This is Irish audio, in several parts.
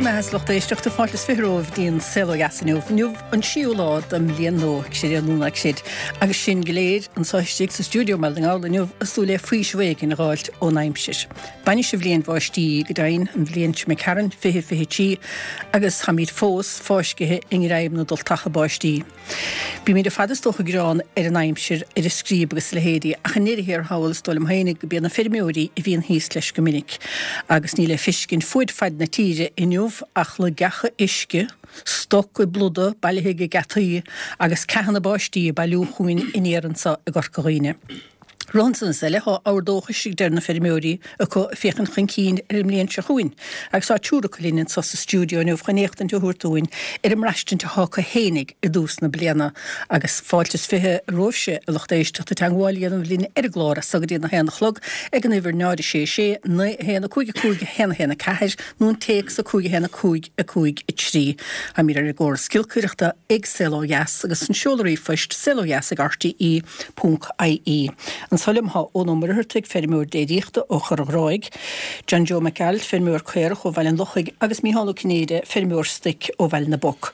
mbeatha a lucht éisteachta, fáilte is 20 romhaibh dtí'n Saol Ó Dheas inniu. Inniu an séú lá den mbliain nua, creid é nó ná creid, agus sinn go léir anso istigh sa stiúideo i mBaile na nGall inniu ag súil le faoiseamh éigin a dh'fháilt ón aimsir. Bainis an bhliain bháistí í, go deimhin, an bhliain seo imigh tharainn, 2023, agus táimid fós fáiscithe i ngreim na dtultacha báistí. Bímid ar fad is dócha ag gearán ar an aimsir, ar an scríob agus a leithéidí, ach i ndeireadh thiar thall is dóigh liom féinig go b'iad na feirmeoirí a bhíonn thíos leis go minic. Agus níl le feiscint fuaid faid na tíre inniu ach loigeacha uisce, stoc ag plúdadh, bailithe ag geataí, agus ceathanna báistí ag bailiú chugainn aniar anso i gCorca Dhuibhne. Rud ansan is eile, tá abhar dóchais, a deir na feirmeoirí, acu ag féachaint chun cinn ar an mbliain seo chugainn agus tá triúr acu linn anso sa stiúideo inniu chun éachtaint a thabhairt dúinn ar an mbraistint atá acu fhéinig i dtús na bliana agus fáilte is 20 romhaibhse, a lucht éisteachta, teagmháil a dhéanamh linn ar an gclár as so go dtí an 1 a chlog ag an uimhir 0 6 6 9 1 5 5 1 1 4 nó an téacs 5 1 5 5 3. Táimid ar an gcóras giolcaireachta ag Saol Ó Dheas agus an seoladh ríomhphoist saolodheas ag rte. Ponc IE. Anso liom thá Eoin Ó Muircheartaigh, feirmeoir déiríochta ó Chorr an Ghráig, John Joe Mac Gearailt, feirmeoir caorach ó Bhaile an Lochaigh agus Mícheál Ó Cinnéide, feirmeoir stoic ó Bhaile na bPoc.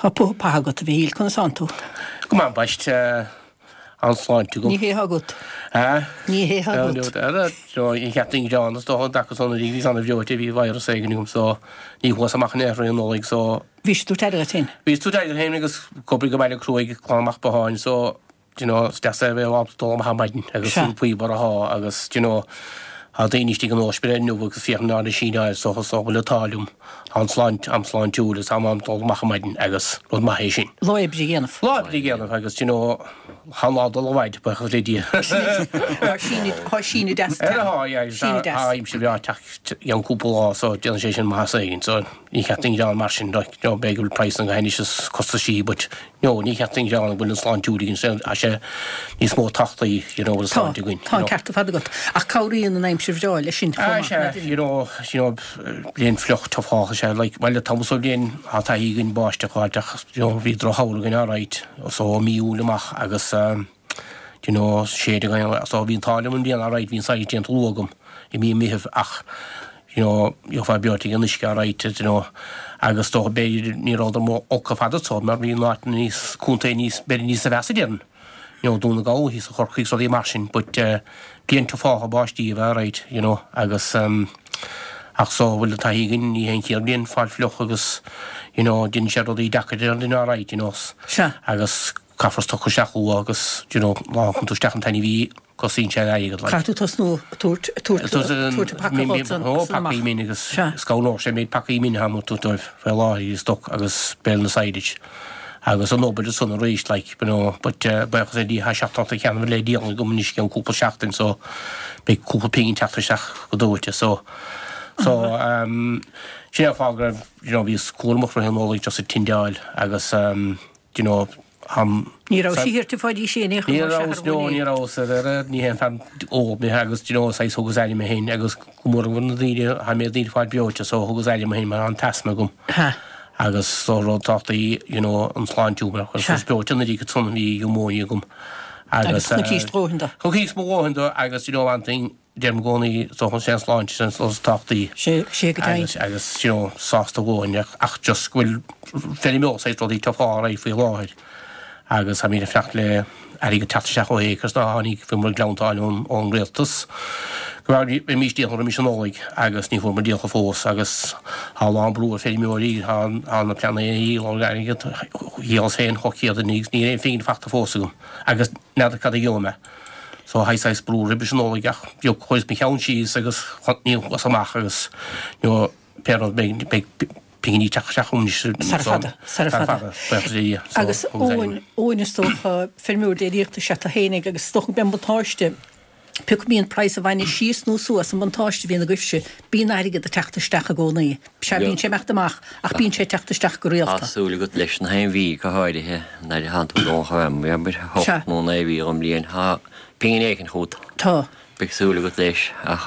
Thá putha patha agat, a Mhichíl, conas thánn tú? Go maith, ambaist. An-sláinte agam. Ní hé thá agat. Ní hé thá agat. Ní cheart don ghreann is dócha an dtaca san a bhí an-bhreoite, bhí virus éigin agam so ní chuas amach in aon chor i Nollaig so Bhís ag tabhairt aire duit féin. Bhíos ag tabhairt aire dom féin agus ag obair go baile cruaidh ag glanadh amach botháin so do you know is deas é a bheith ábalta dul amach ar maidin agus Sea. an faobhar athá agus do you know tá daoine istigh in ospidéal inniu agus féachann ar na síneáil so so bhfuil an t-ádh liom tá an sláint am sláintiúil agus táim in ann dul amach ar maidin agus rud maith é sin. Lá oibre a dhéanamh. Lá oibre a dhéanamh agus do you know tá an lá ag dul i bhfaid buíochas le Dia. Tá síneadh tá síneadh deas Ar a thá yeah Síneadh deas. tá aimsir bhreá ag teacht i gceann cúpla lá so déanann sé sin maitheas éigin so Ní cheart duinn gearán mar sin, like, you know, b'fhéidir go bhfuil praghas na anois is costaisí but, you know, ní cheart duinn gearán go bhfuil an sláinte againn, tá sé níos mó tábhachtaí, you know, bhfuil an Tá, sláinte againn, tá you an know. ceart ar fad agat. Ach cabhraíonn an aimsir bhreá leis sin chomh Ah, maith, sea, nach you know, you know, bliain fliuch te fágtha sea, like, bhuel, tá so bliain tá taithí againn báisteach a fháilt ach, you know, bhí drochshamhradh againn alright, so ó mí Iúil amach agus, um, do you know, séideadh againn, so bhí an t-ádh liom an bhliain alright, bhí an saghas déanta luath agam i mí an Mheithimh ach, you know, gheofá breoite ag an uisce alright, you know, agus dócha b'fhéidir ní rabhadar ró-olc ar fad anso mar bhí an áit níos, contae níos, b'fhéidir níos mheasa déarfainn, you know, Dún na Gall thíos i Chorcaigh is rudaí mar sin but eh bliain te fágtha báistí a bheith alright, you know, agus ehm ach so bhfuil an taithí againn ní hé an chéad bhliain fáil fliuch agus you know déanann sé rudaí deacair ar an duine alright, you know, Sea. agus caithfear stoc isteach luath agus you know má thugann tú isteach an t-ainmhí cosaíonn sé an airgead like. Caithfidh tú tosnú ag tabhairt, ag tabhairt, ag tabhairt an paca dhóibh san, Ó san amach. pacaí mine agus Sea. is cabhródh sé méid pacaí mine atá tabhairt dóibh faoi láthair i stoc agus béal na silage agus an obair ansan arís like you know but eh buíochas le Dia tá seacht n-ocht ceann le díol agam anois i gceann cúpla seachtain so beidh cúpla pingin teacht isteach go dóite so so ehm sin é an fáth go raibh you know bhíos cúramach roimh an Nollaig just ag tindeáil agus ehm do you know am Ní raibh sí thiar fá dtí sin in aon chor Ní mar rabhas, sea, no, ar ní rabhas, ar ar ar, ní haon fear óg mé agus do you know saghas thugas aire mé féin agus go mór mhór na daoine, tha mé daoine fáil breoite so thugas aire mé féin mar an t-asma agam Ha. agus so rud tábhachtaí you know an sláinte mar Sea. chuir breoite an oiread san bhí pneumonia agam Agus agus chonaicís do dhóthain de. Chonaicís mo dhóthain de agus you know one thing Deirim i gcónaí, is dócha, sé an sláinte sin is tábhachtaí. Sé, sé go deimhin. Agus, agus, you know, sásta dhóthain ach, ach just go bhfuil feirmeoir saghas rudaí te fá ar aghaidh faoi láthair agus táimid ag fanacht le airgead teacht isteach ó Acres ná tháinig, bhí muid ag gleanntáil ón, ón rialtas go raibh, bheimis díolta roimis an Nollaig agus ní fuair muid díolta fós agus tá a lán brú ar feirmeoirí, tá, tá na pleananna a dhíol airgead, dhíolas féin chomh céad agus níl aon phingin fachta fós agam agus n'fheadar cad a gheobhaidh mé. So thaidh saghas brú roimis an Nollaig ach you know chuireas mo cheann síos agus ní chuas amach agus you know pé rud beidh beidh pinginí ag teacht isteach chugam anois Sara fada, sara sara fada. fada, buíochas le Dia. So Agus thugas aire. Eoin, Eoin is dócha feirmeoir déiríochta is ea tú fhéinig agus is dócha go mbíonn buntáiste, pé acu mbíonn praghas an bhainne síos nó suas, an buntáiste a bhíonn agaibhse, bíonn airgead ag teacht isteach i gcónaí. Sea, bíonn sé ag imeacht amach ach bíonn sé ag teacht isteach go Tá rialta. súil agat leis na haon mhí go háirithe nuair a thánn tú ag dul chun abair, Sea. 8 nó 9 mhí den mbliain, tá pingin éicint chugat. Tá. Beidh súil agat leis ach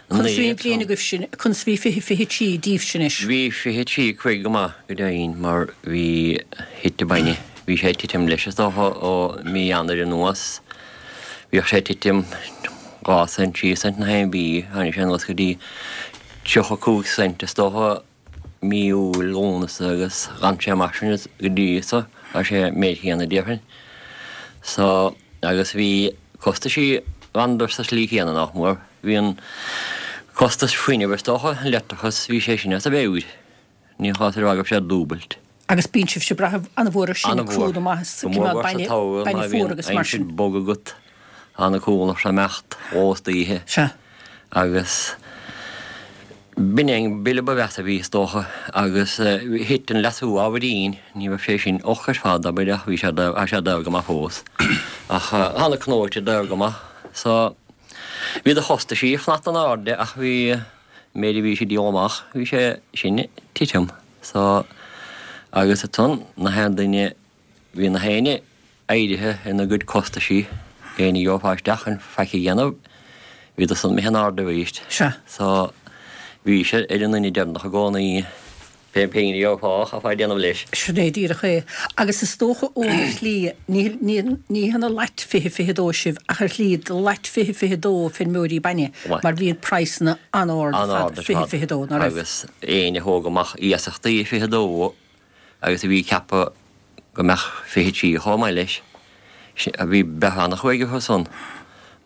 Conas a bhí an bhliain agaibhse, conas a bhí 20 23 daoibhse anois? Bhí 23 5 go maith go deimhin mar bhí, thit an bainne, bhí sé ag titim leis is dócha ó mí Eanáir anuas. Bhíodh sé ag titim 2 cent, 3 cent na haon mhí, tháinig sé anuas go dtí 35 cent is dócha. mí Iúil, Lúnasa agus d'fhan sé mar sin go dtí so, tá sé an méid chéanna déarfainn. So, agus bhí costaisí d'fhanadar sa slí chéanna nach mór. Bhí an costas fuinnimh is dócha, an leictreachas, bhí sé sin as a mheabhair. Ní chás ar fhág sé dúbailt. Agus bíonn sibhse ag brath an-mhór ar sin, crú na maitheas, Go mór mhór sa tsamhradh bainne má fuar bhíonn agus mar aimsir sin. bog agat, tá na coileach ag imeacht istoíche. Sea. Agus b'in é an bille ba mheasa a bhí is dócha agus thit an leasú ábhairín, ní raibh sé sin olc ar fad abair ach bhí sé tá sé daor go maith fós. Ach tá na cnóite daor go maith so bhí do chostaisí ag fanacht in airde ach bhí méid a bhí sé díol amach, bhí sé sin ag titim. So, agus ansan, na haon duine, bhí na héinne éirithe ina gcuid costaisí, éinne a gheofá isteach chun faic a dhéanamh, bhíodar san imithe in airde arís. Sea. So, bhí sé ar an nduine deireanach i gcónaí. Pé pingin a gheofá, chaithfeá déanamh leis. Sin é díreach é. Agus is dócha ó ar shlí, ní, ní, ní hionadh lait 20, 22 sibh, ach ar shlí, do lait 20, 22 feirmeoirí bainne, mar bhí praghsanna an-ard ar fad, 20, 22, ná raibh? Agus éinne a thóg amach iasachtaí i 22 agus a bhí ag ceapadh go mbeadh 23 chomh maith leis, Bhí breith an-chruaidh orthu san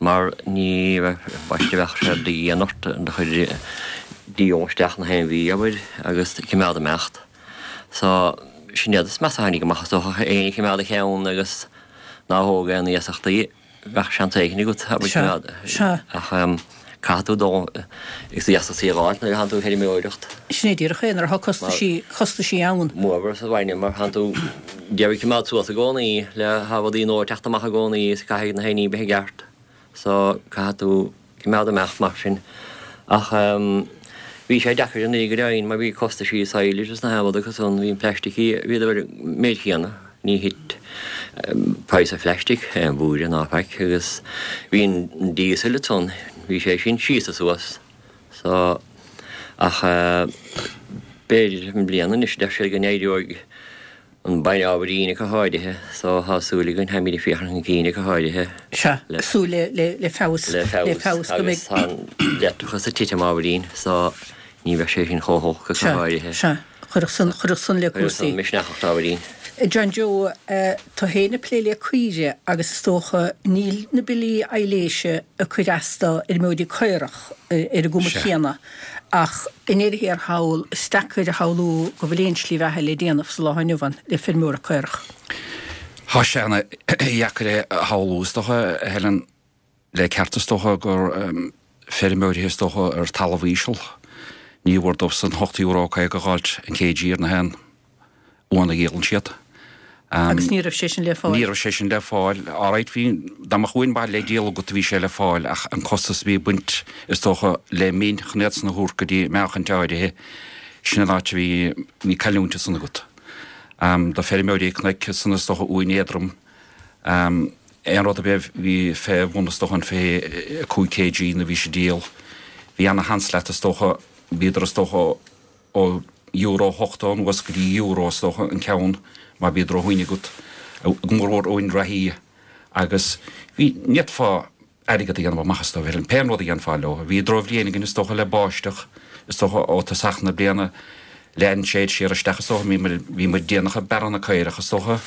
mar ní raibh baiste bheadh sé de dhian ort do chuid díol isteach na haon mhí, abair, agus cimeád imeacht. So, sin iad is measa a tháinig amach is dócha, éinne a chimeád a cheann agus ná thóg aon iasachtaí, bheadh seans éigin agat, abair, cimeád. Sea, sea. Ach caithfidh tú dul agus iasachtaí a dh'fháilt nuair a thánn tú ag feirmeoireacht. Sin é díreach é, nuair atá costaisí, costaisí ann. Mór sa bhainne mar thánn tú d'iarraidh cimeád suas i gcónaí le tá rudaí nua ag teacht amach i gcónaí is caithfidh na héinní bheith i gceart so caithfidh tú cimeád amach mar sin. Ach bhí sé deacair anuraidh go deimhin mar bhí costaisí silage is na haon rud acu san, bhí an plaistic, bhíodar ar an méid chéanna, ní thit praghas an phlaistic aon bhúirne ná faic agus bhí an diesel ansan, bhí sé sin síos is suas so ach b'fhéidir i mbliana anois deir siad go n-éireoidh an bainne ábhairín ach go háirithe so tá súil againn, táimid ag féachaint chun cinn ach go háirithe. Sea, súil le, le, le feabhas, le feabhas, le feabhas go mbeidh. Agus tá an leictreachas ag titim ábhairín so ní bheidh sé sin chomh holc ach go háirithe. Sea, sea. Chuirfeadh san, chuirfeadh san le cúrsaí. Chuirfeadh san misneach ort ábhairín. John Joe, tú féin ag plé le caoirigh agus is dócha níl na billí aibhléise ag cur as do fheirmeoirí caorach ar an gcuma chéanna ach i ndeireadh thiar thall is deacair a shamhlú go bhfuil aon slí bheatha le déanamh sa lá inniu ann le feirmeoireacht caorach. Tá sé ana-dheacair é a shamhlú is dócha, a Helen. Le ceart is dócha gur feirmeoirí is dócha ar talamh íseal. Ní mhór dóibhsan €8.50 a dh'fháilt an kg ar na haon uan a dhíolann siad. Agus ní raibh sé sin le fáil? Ní raibh sé sin le fáil. Alright bhí, dá mbeadh uain mhaith le díol agat bhí sé le fáil ach an costas a bhí ag baint is dócha le min chun iad san a thabhairt go dtí meáchaint áirithe, sin an áit a bhí, bhí cailliúint ansan agat. Do feirmeoirí cnoic ansan is dócha uain éadrom, Aon rud ar bith a bhí fé bhun is dócha an 25 kg nuair a bhís ag díol, bhí ana sheans leat is dócha, bhíodar is dócha ó euro 80 anuas go dtí euro is dócha an ceann má bhí droch-uain agat, go mórmhór uain reathaí agus bhí, ní fhéadfá airgead a dhéanamh amach is dócha, pé an rud a dhéanfá leo. Bhí drochbhliain againn is dócha le báisteach is dócha ó tosach na bliana lean sé siar isteach is dócha, bhí muid déanach ag bearradh na caorach is dócha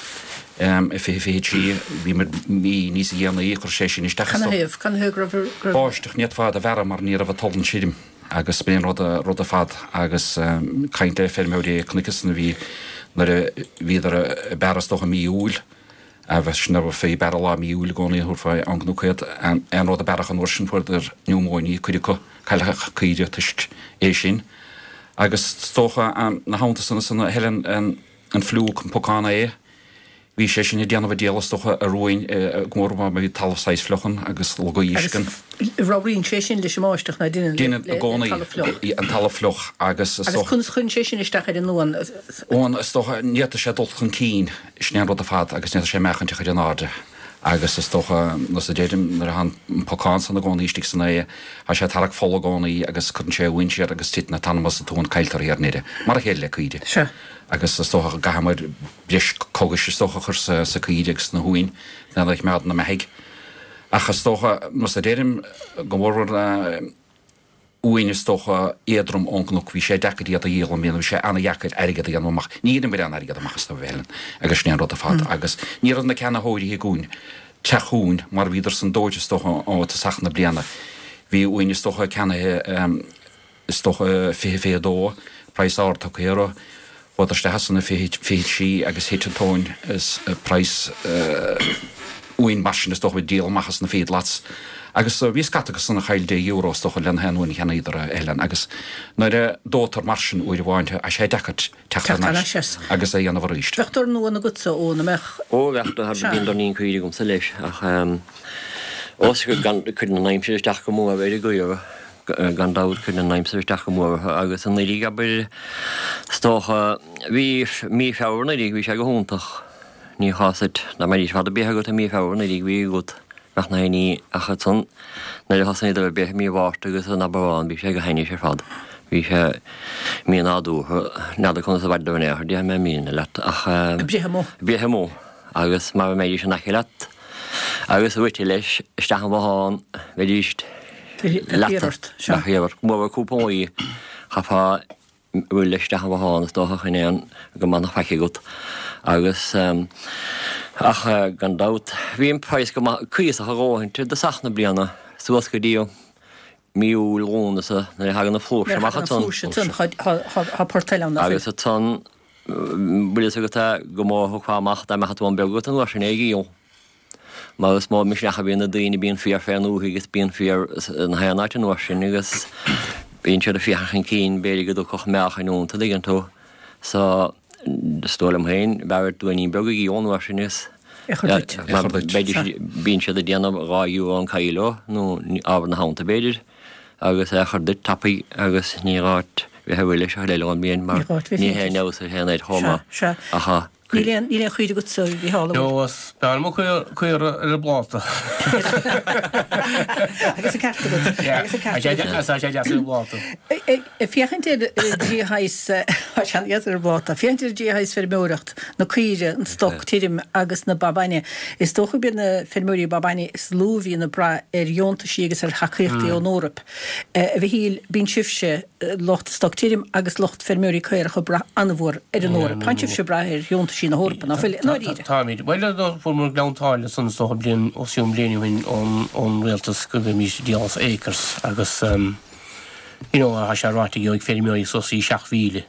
i 2023, bhí muid mí níos dhéanaí, chuir sé sin isteach is dócha. Canathaobh, canathaobh go raibh, go raibh. Báisteach, ní fhéadfá iad a bhearradh mar ní raibh an tallann tirim agus b'in an rud, rud ar fad agus caint le feirmeoirí cnoic ansan a bhí nuair a bhíodar ag bearradh is dócha mí Iúil, Bheadh sin ar fé bearradh lá mí Iúil i gcónaí a thabharfá ann nó caod aon rud a bearradh an uair sin fuaireadar niúmóine cuid acu cailleadh caoire toisc é sin. Agus is dócha ina theannta san ansan a Helen an fliúc an pocán ae bhí sé sin ag déanamh a dícheall is dócha ar uain go mór mór má bhí talamh saghas fliuch ann agus lagaí uisce ann. Agus ramhraíonn sé sin leis an mbáisteach ná deineann le talamh fliuch? An talamh fliuch agus is dócha. Agus conas chuireann sé sin isteach ar an uan? Uan is dócha ní fhéadfadh sé dul chun cinn. Sin é an rud ar fad agus ní fhéadfadh sé meáchaint a chur in airde agus is dócha, nós a deirim, nuair atá an pocán san i gcónaí istigh san ae, tá sé ag tarrac fola i gcónaí agus cuireann sé uain siar agus titeann an t-anam as an t-uan, cailltear í ar ndeireadh. Mar a chéile le caoire. Sea. Agus is dócha go gcaithfimid breis cogais is dócha a chur sa caoire agus sna huain lena choimeád ina mbeathaidh. Ach is dócha, nós a deirim, go mórmhór. Uain is dócha éadrom ón gcnoc, bhí sé deacair iad a dhíol i mbliana, bhí sé ana-dheacair airgead a dhéanamh amach. Ní dheineamar aon airgead amach astu, a Helen, agus sin é an rud ar fad. Agus ní raibh na ceannaitheoirí chugainn teacht chugainn mar a bhíodar san dóite is dócha ó tosach na bliana. Bhí uain is dócha ceannaithe is dócha 20, 22, praghas ard tugtha orthu. Chuadar isteach ansan i 23 agus thit an tóin is praghas uain mar sin is dócha bhí díol amach as na feedlots agus bhí scata acu san a chaill deich euro is dócha le na haon uain a cheannaíodar a Helen agus nuair a dóitear mar sin uair amháin tá sé deacair teacht thar n-ais agus é a dhéanamh arís. Bheadh dorn uan agatsa Eoin, an mbeadh? Ó bheadh, bíonn doirnín caoirigh agamsa leis ach ós gan cuireann an aimsir isteach go mór ar an gcaora. Gan dabht, cuireann an aimsir isteach go mór orthu agus anuraidh, abair, is dócha, bhí mí Feabhra anuraidh, bhí sé go hiontach. Ní chás duit, dá mbeidís fad ar bith agat i mí Feabhra anuraidh, bhí agat, bheadh na héinní, ach ansan nuair a thosnaíodar ag breith i mí Mhárta agus in Aibreán, bhí sé go hainnis ar fad. Bhí sé mí-nádúrtha, n'fheadar conas a mhaireadar in aon chor, déarfaidh mé míne leat, ach. Ag breith amuigh. Ag breith amuigh agus mara mbeidís in aice leat agus rite leis isteach an bhothán, bheidís. Bheadh ort, sea. Bheadh ort. Go mór cúpla lá, chaithfeá rith leis isteach an bhothán is dócha chun aon go mbeadh faic agat. Agus, ach gan dabht, bhí an praghas go maith, cuíosach a dhóthain i dtosach na bliana, suas go dtí mí Iúil, Lúnasa, nuair a thagann an flúirse amach ansan. Nuair a thagann an flúirse ansan, tá port eile ann, nach bhfuil? Agus ansan, bhfuil fhios agat go mó a thiocfá amach dá mbeadh an t-uan beag agat an uair sin é a dhíol. Mar is mó misneach a bhíonn ag daoine, bíonn féar fén ndúthaigh agus bíonn féar na haon áit an uair sin agus bíonn siad ag féachaint chun cinn, b'fhéidir go dtiocfadh meáchain iontu, an dtuigeann tú. So, is dóigh liom féin, b'fhearr duit uainín beag a dhíol an uair sin is mar bíonn siad ag déanamh €2 an kilo nó ábhar na theannta b'fhéidir agus é a chur duit tapaidh agus ní gá duit bheith ag rith leis a thuilleadh ón mbliain mar ní haon fheabhas ar aon air chomh maith ach Níl aon, níl aon chaoire agatsa, a Mhícheál, an bhfuil? No, is fearr liom caora ar an bpláta. Agus an ceart agat. Agus an ceart agat. Tá sé deas ar an bpláta. Ag féachaint ar an dtrí shaghas, tá sé an-deas ar an bpláta, féachaint ar an dtrí shaghas feirmeoireacht, na caoire, an stoc tirim agus na ba bainne, is dócha gurb iad na feirmeoirí ba bainne is lú a bhíonn ag brath ar dheontaisí agus ar thacaíochtaí ón Eoraip. A Mhichíl, bíonn sibhse, lucht stoc tirim agus lucht feirmeoirí caorach ag brath an-mhór ar an Eoraip. Tánn sibhse ag brath ar dheontaisí na hEorpa, ná fuil, i ndáiríre? Táimid. Bhuel, fuaireamar Gleann tSáile ansan is dócha bliain, os cionn bliain ó shin ón rialtas go mbeimís ag díol as acres agus you know tá sé ráite go gheobhaidh feirmeoirí suas go 7,000.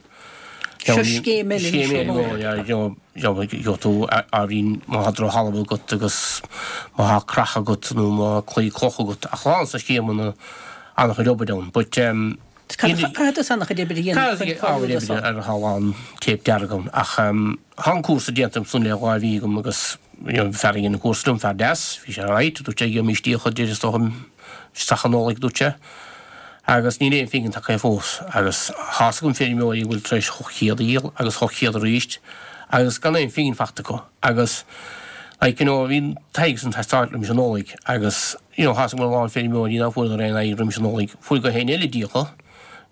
Seo scéim eile anois ón Eoraip. Scéim eile, you know, gheobhaidh tú ábhairín má tá drochthalamh agat agus má tá creach agat nó má tá claí cloch agat ach tá sa scéimeanna an-chuid obair ann but um Caithfidh tusa an-chuid oibre a dhéanamh chun cáiliú do seo. Ar tá a lán téip dearg ann ach tá an cúrsa déanta ansan le 2 mhí agam agus you know fear a dhein an cúrsa liom, fear deas, bhí sé alright, dúirt sé gheobhaimis íoctha idir is dócha isteach an Nollaig dúirt sé agus níl aon phingin tagtha fós agus tá's agam feirmeoirí a bhfuil tar éis 800 a dhíol agus 800 arís agus gan aon phingin fachta acu agus like you know bhí an t-airgead san teastáil roimis an Nollaig agus You know, tá's agam a lán feirmeoirí ná fuaireadar aon airgead roimis an Nollaig, fuair gach éinne eile díoltha.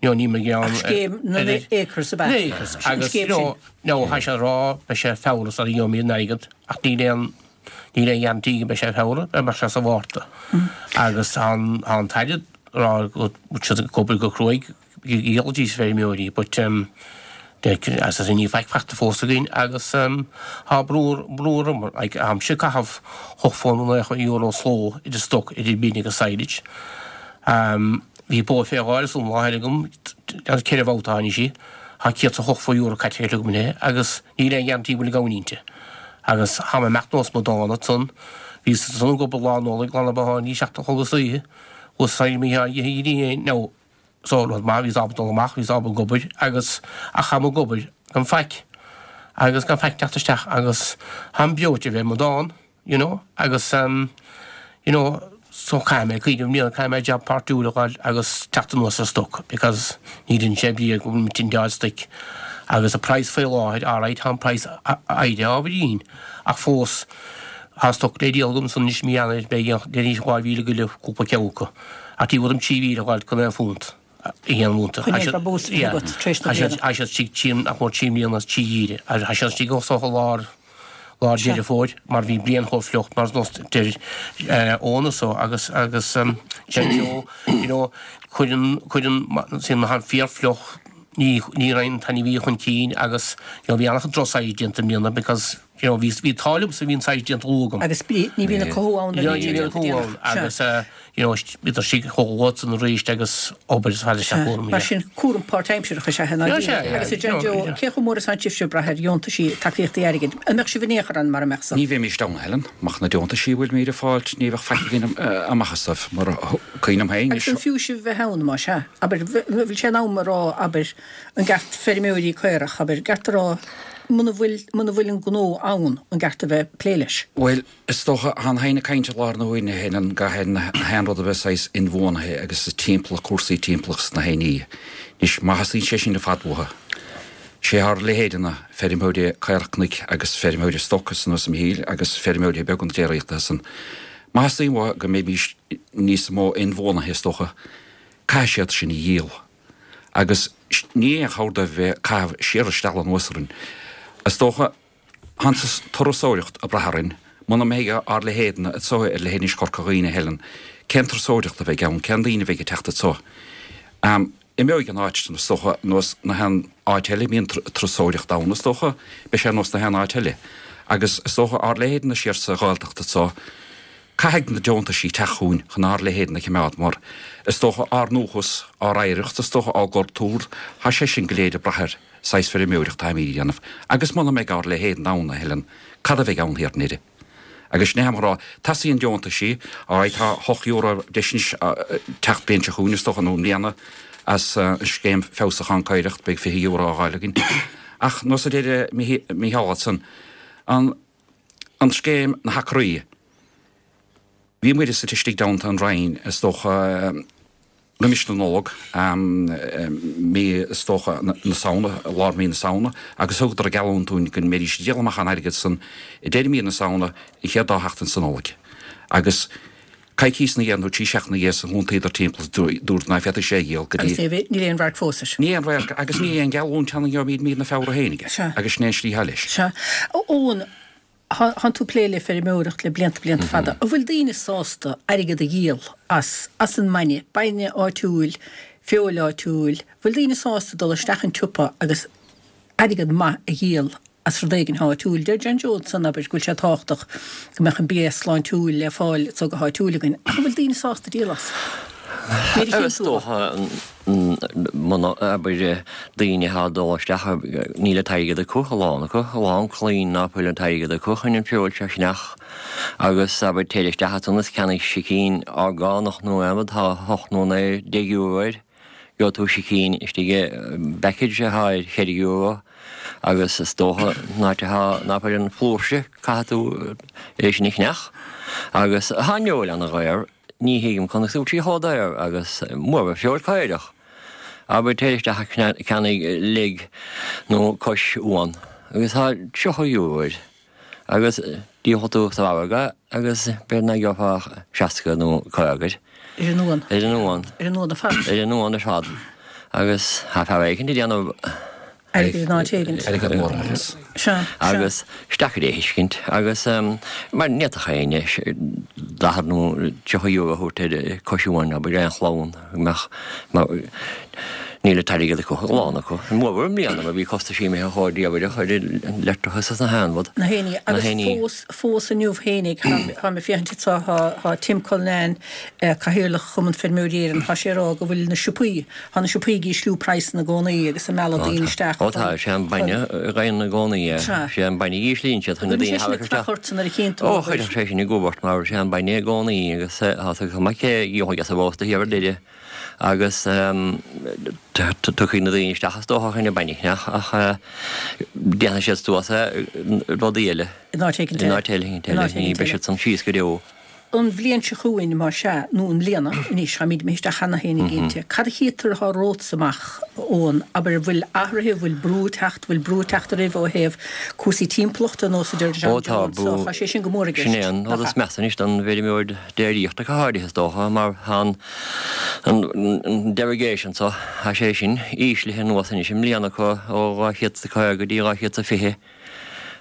You know, ní mar gheall Ach scéim na n-acres ab ea? Na acres. Agus, you know, now, tá sé ag rá, beidh sé Feabhra sara gheobhaimid an airgead, ach níl aon, níl aon guarantee go mbeidh sé Feabhra, beidh sé sa Mhárta. Agus tá an, tá an tAire ag rá go bhfuil siad ag obair go cruaidh dhíol feirmeoirí but as I say níl faic fachta fós againn agus tá brú brú orm like táimse ag caitheamh €89 sló idir stoc idir min agus silage. Bhí bó fé dháil san láthair agam ceithre bhabhta tháinig sí, tá €180 caite agam inti agus níl aon guarantee go bhfuil an gamhain inti. Agus tá mé ag imeacht nós mo dána ansan, bhíos ansan ag obair lá Nollag, lá na botháin, bhí 7 a chlog istoíche, thuas sa Mhícheál now So, rud maith, bhíos ábalta dul amach, bhíos ábalta ag obair agus, ach táim ag obair gan faic agus gan faic teacht isteach agus táim breoite a bheith i mo dán, you know, agus ehm, you know, so caithfidh mé cuimhneamh i mbliana, caithfidh mé jab páirtiúil a fháil agus teacht anuas ar stoc because ní dhein sé brí go bhfuil muid ag díol stoic agus an praghas faoi láthair, alright, tá an praghas éirithe ábhairín ach fós tá stoc le díol agam san anois mí Eanáir, beidh, déarfainn 2,000 go leith cúpla ceann acu. Ach ní bhfuair 3,000 a fháil chun aon phunt a dhéanamh iontu. Chun aon bhrabús a bheith agat tar éis na bliana. Tá siad istigh trí, nach mór trí mbliana, trí dhíre. Tá siad istigh is dócha lár, Lár Deireadh Fómhair mar bhí bliain chomh fliuch mar nós deir Eoin so agus agus John Joe you know cuireann cuireann sin má tá fíor fliuch ní ní raibh an t-ainmhí chun cinn agus you know bhí an-chuid droch-saghas déanta i mbliana because you know bhí bhí an t-ádh liomsa bhí an saghas déanta luath agam. Agus ní bhíonn an cothú ann nuair a bhíonn sé déanta déanach. Agus you know, bhíodar istigh chomh luath san arís agus obair is fada isteach cúram. Mar sin, cúram páirtaimseartha is ea é ná Sea, Agus a John Joe, cé chomh mór is atá sibhse ag brath ar dheontaisí, tacaíochtaí airgid? An mbeadh sibh in aon chor ann mara mbeadh san? Ní bheimís ann, a Helen. Murach na deontaisí a bhfuilimíd ag fáilt, ní bheadh faic againn amach astu, mar cuimhin liom féin. Agus an fiú sibh bheith ann, más ea? Abair, bhfuil sé in am a rá, abair, an gceart feirmeoirí caorach, abair, gceart a rá, muna bhfuil, muna bhfuil an gnó ann, an gceart a bheith ag plé leis? Bhuel, Is dócha, thá na héinne ag caint i láthair na huaire, a Helen, gach aon haon rud a bheith saghas inbhuanaithe agus is timpeallacht, cúrsaí timpeallachta is na héinní. Anois, má theastaíonn sé sin ar fad uathu, sé ár leithéideanna, feirmeoirí caorach cnoic agus feirmeoirí stoc is nós Mhichíl agus feirmeoirí beaga na déiríochta san, má theastaíonn uathu go mbeimís níos mó inbhuanaithe is dócha, caithfidh siad sin a dhíol. Agus ní aon chabhair dóibh bheith ag caitheamh siar isteach anuas orainn. Is dócha. Tá an turasóireacht ag brath orainn. Muna mbeidh ár leithéidne anso ar leithinis Chorca Dhuibhne, a Helen, cén turasóireacht a bheidh ann, cén daoine a bheidh ag teacht anso? Imeoidh an áit, is dócha, nós na haon áit eile, bíonn turasóireacht ann, is dócha, beidh sé nós na haon áit eile. Agus is dócha ár leithéidne siar sa Ghaeltacht anso, caithfidh na deontaisí teacht chugainn chun ár leithéidne a choimeád mar, is dócha, ár ndúchas, ár oidhreacht, is dócha, ár gcultúr, tá sé sin go léir ag brath air. saghas feirmeoireacht atáimid a dhéanamh, agus muna mbeidh ár leithéid ann, a Helen, cad a bheidh ann thiar i nDoire? Agus sin é tháim a rá, teastaíonn deontaisí, alright, tá €8 deis anois teacht bliain seo chugainn, is dócha, nó i mbliana, as an scéim feabhsúcháin caorach, beidh €20 á fháil againn. Ach, nós a deir Mícheál ansan, an, an scéim, na hacraí, bhí muid suite istigh i dteannta an Roinn, is dócha, Roimis na Nollag, mí is dócha na Samhna, lár mí na Samhna, agus thugadar geallúint dúinn go mbeidís ag díol amach an airgead san i deireadh mí na Samhna, an chéad dá sheachtain sa Nollaig. Agus coicíos ina dhiaidh nó trí seachtaine ina dhiaidh san thiontaíodar timpeall is dúradar ná féadfaí sé a dhíol go dtí. Agus níl aon radharc fós air. Ní aon radharc agus ní aon gheallúint ann go gheobhaimid mí na Feabhra féin aige. Sea. Agus sin é an slí atá leis. Sea. Eoin, Thánn tú ag plé le feirmeoireacht le blianta blianta fada. An bhfuil daoine sásta airgead a dhíol as, as an mbainne, bainne áitiúil, feoil áitiúil, bhfuil daoine sásta dul isteach an tsiopa agus airgead maith a dhíol as rud éigin áitiúil? Deir John Joe ansan, abair, go bhfuil sé tábhachtach go mbeadh an bia sláintiúil le fáil anso go háitiúil againn, ach an bhfuil daoine sásta díol as? Nuair a Is dócha muna, abair, daoine atá ag dul isteach, níl an t-airgead acu, a lán acu, a lán claínn ná fuil an t-airgead acu chun an feoil seo a cheannach agus, abair, téir isteach ansan is ceannaigh sicín orgánach nó aon rud, tá hocht nó naoi, deich euro air, gheobhaidh tú sicín istigh i bpackage atá ar cheithre euro agus is dócha an áit atá, ná fuil an flúirse, caithfidh tú é sin a cheannach agus tá an fheoil ana-dhaor. Ní thuigim conas go bhfuil sí chomh daor agus mórmhór feoil caorach. Abair téir isteach ag ceannaigh leg nó cois uan agus tá €30 air agus díolfaidh tú sa mhargadh agus b'fhéidir nach gheofá ach 60 nó 50 air. Ar an uan. Ar an uan. Ar an uan ar fad. Ar an uan ar fad. Agus tá fear éicint ag déanamh. Airgead in áit éigint. Airgead mór amach as. Sea, sea. Agus is deacair é a thuiscint agus mar ní fhéadfadh éinne 40 nó 30 euro a thabhairt ar cois uain, abair, aon chlann go mbeadh, mar níl an t-airgead acu, a lán acu. Mórmhór i mbliana mar bhí costaisí imithe chomh diabhaireach ar an leictreachas is na haon rud. Na héinní. Na Agus héinní. fós, fós inniu fhéinig, táim ag féachaint anseo, tá, tá Tim Cullinane, Cathaoirleach Chumann Feirmeoirí Éireann, tá sé ag rá go bhfuil na siopaí, Tá na siopaí ag ísliú praghsanna i gcónaí agus ag mealladh daoine isteach Ó tá, sé an bainne a ghaibheann i gcónaí é. Sea. Sé an bainne a íslíonn siad chun na An bhfuil daoine sé a sin ag tharrac isteach. creach ort nuair a chíonn tú Ó, an obair? chuirfeadh sé sin i gcumhacht mar sé an bainne i gcónaí agus tá a fhios agat cé a gheobhaidh as an rósta thiar ar deireadh agus tiocfaidh na daoine isteach is dócha chun an bainne a cheannach ach déanfaidh siad suas é i rudaí eile. In áit éigin eile. In áit eile, ní beidh siad san síos go deo. An bhliain seo chugainn, más ea, nó i mbliana, anois, táimid imithe isteach cheana féin, cinnte, cad a chítear atá romhatsa amach ón, abair, an bhfuil athruithe, an bhfuil brú ag teacht, bhfuil brú ag teacht oraibh ó thaobh cúrsaí timpeallachta, nós a deir Ó John tá Jones, brú, tá sé sin go mór i sin gceist, é an nach rud is ea? measa anois don bhfeirmeoir déiríochta go háirithe is dócha, mar tá an, an derogation so, tá sé sin íslithe anuas anois i mbliana acu ó 250 go dtí 220.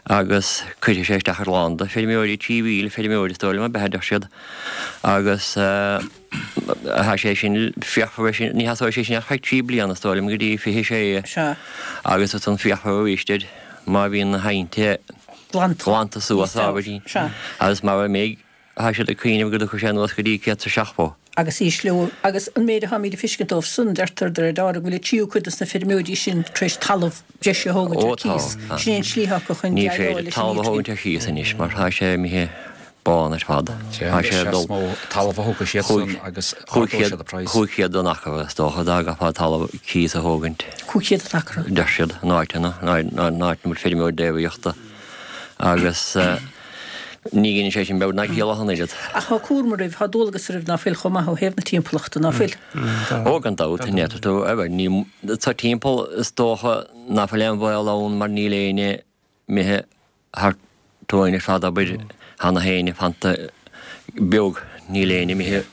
Agus cuirfidh sé isteach ar a lán de feirmeoirí, 3,000 feirmeoir is dóigh liom, ab ea, a deir siad. Agus tá sé sin, féachfar air sin, ní sheasóidh sé sin ach feadh 3 bliana is dóigh liom, go dtí 26. Sea. Agus ansan féachfar arís air má bhíonn na haibhnte glanta suas ábhairín. Sea. Agus mara mbeidh, Tá siad ag cuimhneamh go dtiocfaidh sé anuas go dtí 170. Agus ísliú, agus an méid atáimid ag fiscint dóibh san, deirtear de réir dealraimh go bhfuil an tríú cuid dos na feirmeoirí sin tar éis talamh breise a thógaint Ó ar tá, cíos. tá. Sin é an tslí atá acu chun Ní déileáil féidir leis an talamh a nitrigin. thógaint ar cíos anois mar tá sé imithe bán ar fad. Sea, Tá sé ag is dul mó talamh a thógfaidh siad san agus ardóidh siad an praghas. 500 an acra is dócha dá gcaithfeá talamh cíos a thógaint. 500 an acra. Deir siad, in áiteanna, in áiteanna ina bhfuil feirmeoir déiríochta agus. Ní dheineann sé sin beag ná ciall ach an oiread. Ach tá cúram oraibh, tá dualgas oraibh ná fuil chomh maith ó thaobh na timpeallachta, ná fuil? Ó, gan dabht, an ndéarfaidh tú, bhuel, ní, sa timpeall is dócha ná fuil aon bhaol ann mar níl éinne imithe thar tóin ar fad, abair, tá na héin fanta beag, níl éinne imithe,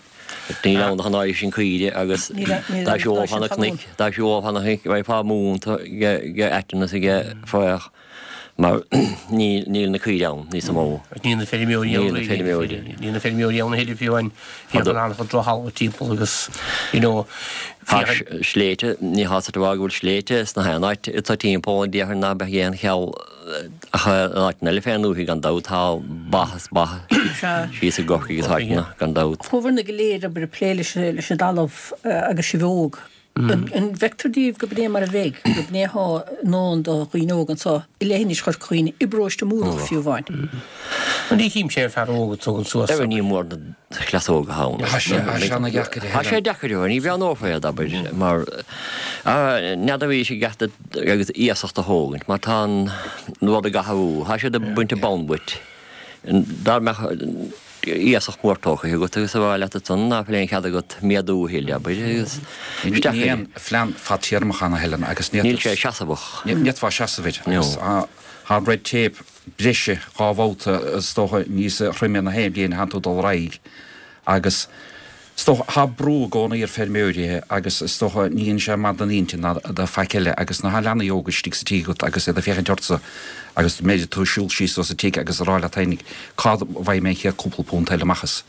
níl ann ach an áirithe sin caoire agus dá siúlfá na cnoic, dá siúlfá na cnoic, bheifeá múnta de aiteann is de fraoch. mar níl na caoire ann níos mó. Níl na feirmeoirí ann. Níl na feirmeoirí. Níl na feirmeoirí ann a thuilleadh fiú amháin. Bhíodh an an-chuid drochthalamh timpeall agus you know Tá sléibhte, ní féidir a rá go bhfuil sléibhte sna haon áit atá timpeall an déarfainn ná beadh aon cheall ach in áiteanna eile fén ndúthaigh gan dabht tá ba is ba síos i gCorcaigh is áiteanna gan dabht. Chuabhair-na go léir obair ag plé leis an dtalamh agus sibh óg. An bhfeictear daoibh go b'in é mar a bheidh, go b'in é atá i ndán do dhaoine óga anseo i leithinis Chorca Dhuibhne, i bparóiste Múrach fiú amháin? Bhuel, ní chím sé an fear óg a tugann suas. Bhuel, ní mór na cleasóga ann. Tá sé ana-dheacair a Tá sé deacair, ní bhreathnófá iad, abair, mar n'fheadar arís i gceart agus iasacht a thógaint, mar tá an rud ag athrú, tá siad ag baint an bonn uait. Dá mbeadh iasacht mór tógtha agat agus a rá leat ansan ná fuil aon chead agat méadú a thuilleadh, abair, agus isteach Ní aon phlean fadtéarmach ann a Helen agus ní Níl sé seasamhach. Ní fhéadfá seasamh air agus tá an red tape breise dhá bhabhta is dócha níos troime na haon bhliain a thánn tú ag dul ar aghaidh agus Is dócha, tá brú i gcónaí ar feirmeoirithe agus is dócha ní dhéanann sé maith don intinn ná do faic eile agus nuair atá leanaí óga istigh sa tigh agat agus iad ag féachaint ortsa agus b'fhéidir tú ag siúl síos as an tigh agus ag rá leat fhéinig cá bhfaighidh mé an chéad cúpla punt eile amach as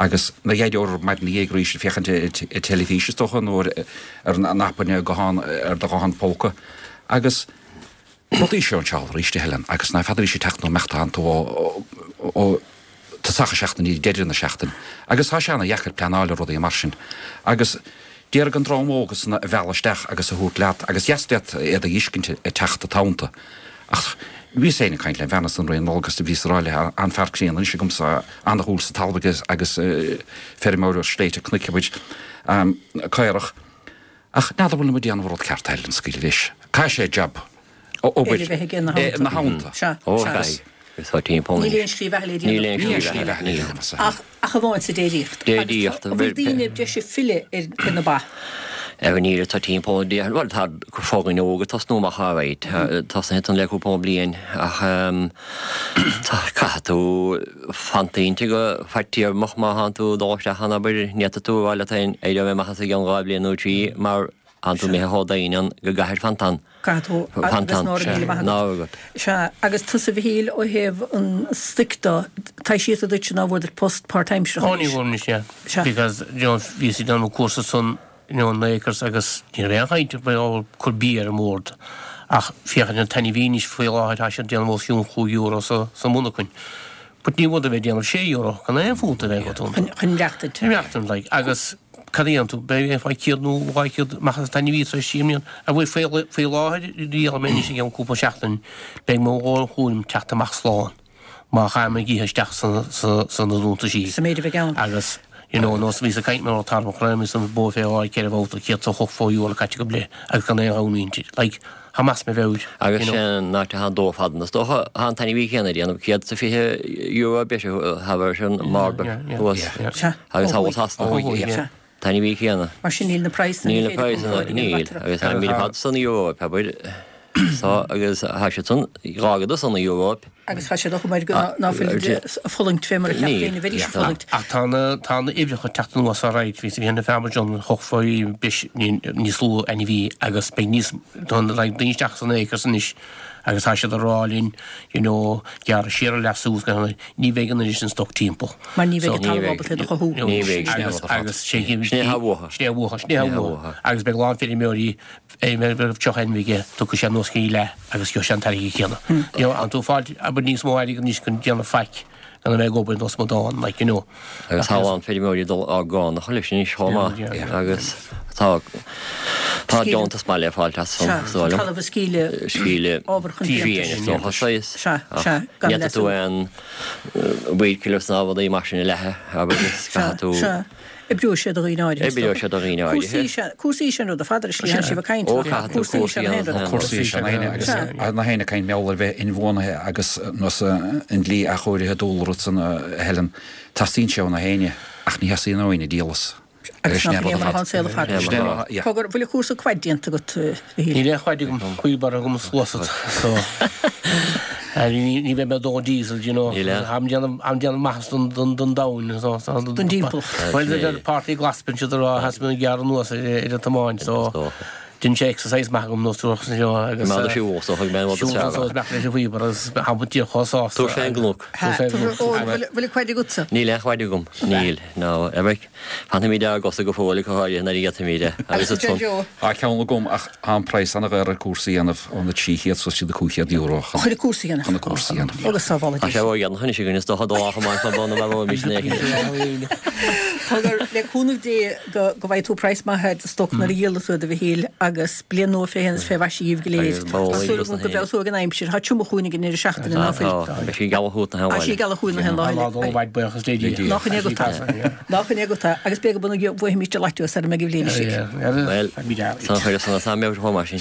agus nuair a d'éireofar maidin ina dhiaidh arís ag féachaint ar teilifís is dócha nó ar an aip ar guthán ar do ghuthán póca agus Rudaí seo anseo arís, a Helen, agus ná feadar arís ag teacht nó imeacht atánn tú ó tosach na seachtaine go deireadh na seachtaine. Agus tá sé ana-dheacair pleanáil ar rudaí mar sin. Agus d'iarraidh an dream óg san a mhealladh isteach agus a thabhairt leat, agus dheas leat iad a fheiscint ag teacht i dteannta. Ach bhíos féin ag caint lem bhean ansan roimh an Nollaig agus bhíos ag rá léi, an-fhear críonna anois agamsa, ana-dhúil sa talamh aige agus feirmeoir ar shléibhte cnoic muid, caorach. Ach n'fheadar bhfuil muid ag déanamh an rud ceart a Helen scaoileadh leis. Caithfidh sé jab, obair, Eile bheith aige ina theannta. ina theannta. Sea, Ó, sea. caithfidh. Is tá timpeall Níl anois. aon slí bheatha le Níl déanamh. aon Níl aon slí slí bheatha, bheatha le níl. déanamh as a Ach, ach amháin sa déiríocht. Déiríocht. Agus tá, bhfuil daoine breise ag filleadh ar, ar na ba? Ar an níl atá timpeall an déarfainn, bhuel tá foireann óg ag tosnú amach alright, tosnaithe ansan le cúpla bliain ach tá, caithfidh tú fantaint go fadtéarmach má thánn tú ag dul isteach ann abair, ní fhéadfaidh tú a rá leat féin éireoidh mé amach as i gceann 2 bhliain nó 3 mar thánn tú imithe chomh domhain ann go gcaithfir fant ann. Caithfidh tú Fant agus ann, ná raibh míle maith ná agat. agat. Sea, agus tusa a Mhichíl ó thaobh an stoic de, tá sé duit ná bhfuair duit post páirtaimseartha Ó ní anois. bhfuair anois, yeah. Sea. Because, you know, bhíos ag déanamh an cúrsa san you know, na acres agus ní raibh aon chaint ar bith cur bia ar an mbord. Ach féachaint an t-ainmhí anois faoi láthair tá siad ag déanamh os cionn chúig euro sa sa mhonarchain. But ní bhfuair a bheith ag déanamh sé euro gan aon phunt a bheith agat iontu. Chun chun maireachtaint. Chun maireachtaint, like. Agus cad a dhéanann tú? Beidh aon fá chéad nó 200 amach as an t-ainmhí tar éis trí mbliana. A bhfuil faoi faoi láthair rialaigh mé anois i gceann cúpla seachtain beidh mo dhóthain chúraim teacht amach slán. Má chaithim ag ithe isteach sa na deontaisí. Sa méid a bheidh ann. Agus you know nós bhíos ag caint mar atá an chraobh is an bó fé dhá ceithre bhabhta 180 euro caite agam léi agus gan aon ghabhann inti. Like, tá mé as mo mheabhair, Agus you know. sin an áit atá an dó fada is dócha, tá an t-ainmhí céanna ag déanamh €120 breise thar an margadh thuas agus thall Sasana. Ó thuaidh, yeah. T-ainmhí céanna. Mar sin níl na praghsanna Níl na praghsanna, níl. Agus tá míle fad san Eoraip, abair. So, agus tá siad san, dhá gcuid san Eoraip. Agus tá sé dochóir go ná fuil ag fulaingt fé mar a cheap éinne a bheidís ag fulaingt. Ach tá na tá na uimhreacha ag teacht anuas alright, bhí bhí na fear John thiocfaí breis níos lú ainmhí agus beidh níos tá na like daoine isteach san acres anois agus tá siad ag rá linn you know gearradh siar an leasú is gach ní bheidh an oiread sin stoc timpeall. Mar ní bheidh an talamh ábalta iad a chothú. Ní bheidh. Agus agus sé sin é atá uathu. Sin é uathu, sin é uathu. Agus beidh a lán feirmeoirí Aon raibh 30 ainmhí aige, tiocfaidh sé anuas go dtí leath agus gheobhaidh sé an t-airgead céanna. You know, tánn tú ag fáil abair níos mó airgid anois chun déanamh faic gan a bheith ag obair nós amadán, like, you know. Agus tá a lán feirmeoirí ag dul á gcánach leis anois chomh maith agus tá tá deontas maith le fáilt as san, is dóigh liom. Talamh a scaoileadh, scaoileadh ábhar chun fiántais. Fiáin is dócha, saghas. Sea, sea, gan Ní fhéadfaidh tú aon weed killers ná rudaí mar sin a leathadh, abair, is caithfidh tú. Sea, sea. Oibreoidh sé do dhaoine áirithe. Oibreoidh sé do dhaoine áirithe. Cúrsaí is ea an rud ar fad ar an slí a sibh ag caint. Ó, caithfidh tú cúrsaí a dhéanamh. Cúrsaí is ea an aon agus na héinne ag caint mar gheall ar bheith inbhuanaithe agus nós an dlí athchóirithe dúlra san a Helen. Teastaíonn sé ó na héinne ach ní theastaíonn ó éinne díol as. Agus nach é mar atá an saol ar fad. Cogar, bhfuil an cúrsa quad déanta agat, a Mhichíl? Níl aon quad agam, wheelbarrow agam is sluasaid so ní bheidh mé ag dó diesel, do you know. Táim déanamh maitheas don domhan so. Don dtimpeallacht. Bhuel, deir Páirtí Glas bíonn siad ag rá theastaigh mé gearradh anuas ar an tiomáint so dhein sé exercise maith agam nó tú you know agus. Mar siúl so thug mé an rud is fearr. Siúl so is leis an wheelbarrow agus tháim díreach chomh sásta. Tabhair fén gcnoc. Bhfuil an quad agatsa? Níl aon quad agam, níl, no. Fanfaimid ar ár gcosa go fóill, go háirithe nuair a ghéillfimid é. Agus a Joe. Tá ceann agam ach tá an praghas an-dhaor ar cúrsa a dhéanamh, ó na 300 suas go dtí na €500 chun an cúrsa a dhéanamh. Chun an cúrsa a dhéanamh. Agus sábhála Tá sé ródhéanach anois againn, is dócha, do lá amach mar bun a mharóimid na héigean. Cogar, le cúnamh Dé go bhfaighidh tú praghas maith ar do stoc nuair a dhíolfaidh tú iad, a Mhichíl, agus bliain nua fé shéan is fé mhaise dhíbh go léir. Tá súil agam go bhfeabhsóidh an aimsir. Tá triomach chugainn ag an ndeireadh seachtaine, ná fuil? Tá, beidh sí ag gealach chugat na haon Tá sí ag gealach chugainn na haon lá eile. Tá lá dó mhaith buíochas le Dia. Nach in é agat é. Nach in é agat é. Agus b'fhéidir go mbuafaimid an lotto sara mbeidh an bhliain istigh. Bhuel, san chuireadh san as am chomh maith sin.